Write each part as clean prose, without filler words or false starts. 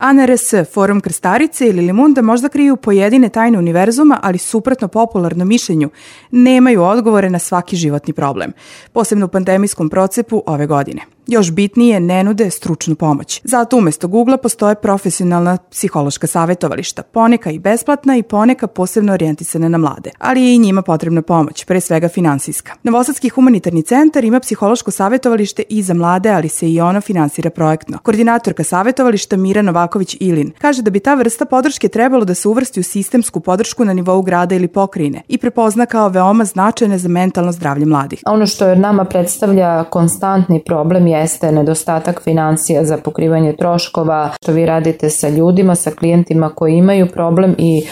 ANRS, Forum Krstarice ili Limunda možda kriju pojedine tajne univerzuma, ali suprotno popularnom mišljenju nemaju odgovore na svaki životni problem, posebno u pandemijskom procepu ove godine. Još bitnije, ne nude stručnu pomoć. Zato umesto Google-a postoje profesionalna psihološka savjetovališta, poneka i besplatna i poneka posebno orijentisane na mlade, ali je i njima potrebna pomoć, pre svega finansijska. Novosadski humanitarni centar ima psihološko savjetovalište i za mlade, ali se i ono finansira projektno. Koordinatorka savjetovališta Mira Novaković-Ilin kaže da bi ta vrsta podrške trebalo da se uvrsti u sistemsku podršku na nivou grada ili pokrajine i prepozna kao veoma značajne za mentalno zdravlje mladih. Ono što nama predstavlja konstantni problem jeste nedostatak financija za pokrivanje troškova, što vi radite sa ljudima, sa klijentima koji imaju problem i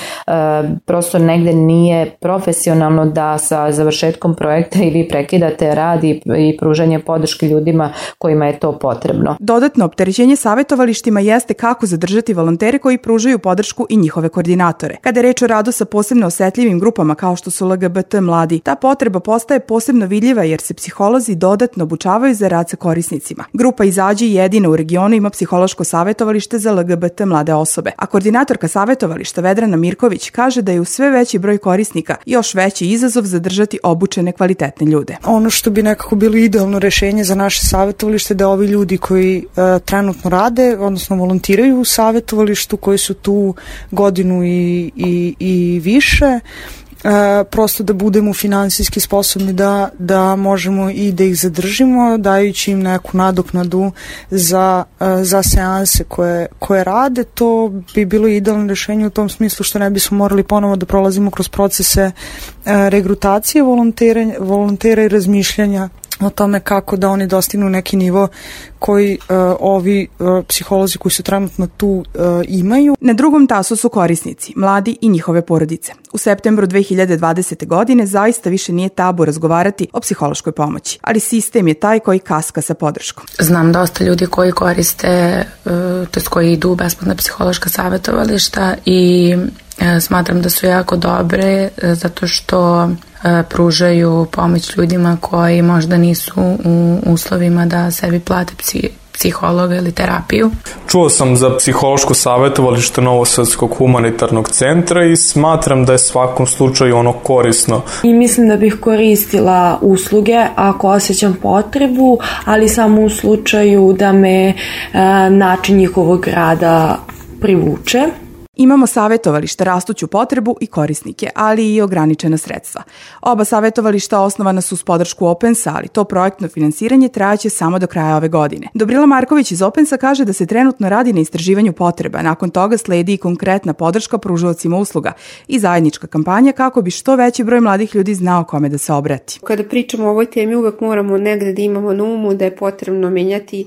prosto negde nije profesionalno da sa završetkom projekta i vi prekidate rad i pružanje podrške ljudima kojima je to potrebno. Dodatno opterećenje savjetovalištima jeste kako zadržati volontere koji pružaju podršku i njihove koordinatore. Kada je reč o radu sa posebno osetljivim grupama kao što su LGBT mladi, ta potreba postaje posebno vidljiva jer se psiholozi dodatno obučavaju za rad sa korisnicima. Grupa Izađi jedina u regionu ima psihološko savjetovalište za LGBT mlade osobe, a koordinatorka savjetovališta Vedrana Mirković kaže da je u sve veći broj korisnika još veći izazov zadržati obučene kvalitetne ljude. Ono što bi nekako bilo idealno rešenje za naše savjetovalište da ovi ljudi koji trenutno rade, odnosno volontiraju u savjetovalištu, koji su tu godinu i više, prosto da budemo finansijski sposobni da možemo i da ih zadržimo, dajući im neku nadoknadu za seanse koje rade. To bi bilo idealno rešenje u tom smislu što ne bismo morali ponovo da prolazimo kroz procese regrutacije volontera i razmišljanja o tome kako da oni dostignu neki nivo koji ovi psiholozi koji su trenutno tu imaju. Na drugom tasu su korisnici, mladi i njihove porodice. U septembru 2020. godine zaista više nije tabu razgovarati o psihološkoj pomoći, ali sistem je taj koji kaska sa podrškom. Znam dosta ljudi koji koriste, tj. koji idu u besplatna psihološka savjetovališta i smatram da su jako dobre zato što pružaju pomoć ljudima koji možda nisu u uslovima da sebi plate psihologa ili terapiju. Čuo sam za psihološko savjetovalište Novosadskog humanitarnog centra i smatram da je svakom slučaju ono korisno. I mislim da bih koristila usluge ako osjećam potrebu, ali samo u slučaju da me način njihovog rada privuče. Imamo savjetovališta, rastuću potrebu i korisnike, ali i ograničena sredstva. Oba savjetovališta osnovana su uz podršku Opensa, ali to projektno finansiranje trajaće samo do kraja ove godine. Dobrila Marković iz Opensa kaže da se trenutno radi na istraživanju potreba, nakon toga sledi i konkretna podrška pružaocima usluga i zajednička kampanja kako bi što veći broj mladih ljudi znao kome da se obrati. Kada pričamo o ovoj temi uvek moramo negde da imamo na umu da je potrebno menjati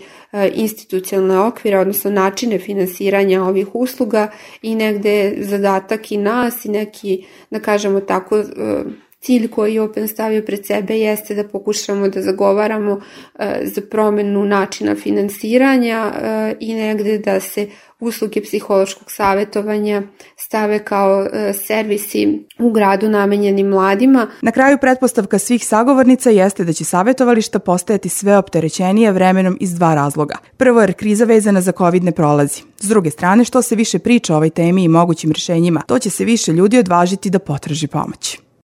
institucionalne okvire, odnosno načine finansiranja ovih usluga i negde zadatak i nas i neki, da kažemo tako, cilj koji je Open stavio pred sebe jeste da pokušamo da zagovaramo za promenu načina finansiranja i negde da se usluge psihološkog savjetovanja stave kao servisi u gradu namenjeni mladima. Na kraju pretpostavka svih sagovornica jeste da će savjetovališta postajati sve opterećenije vremenom iz dva razloga. Prvo, jer kriza vezana za COVID ne prolazi. S druge strane, što se više priča o ovoj temi i mogućim rješenjima, to će se više ljudi odvažiti da potraži pomoć.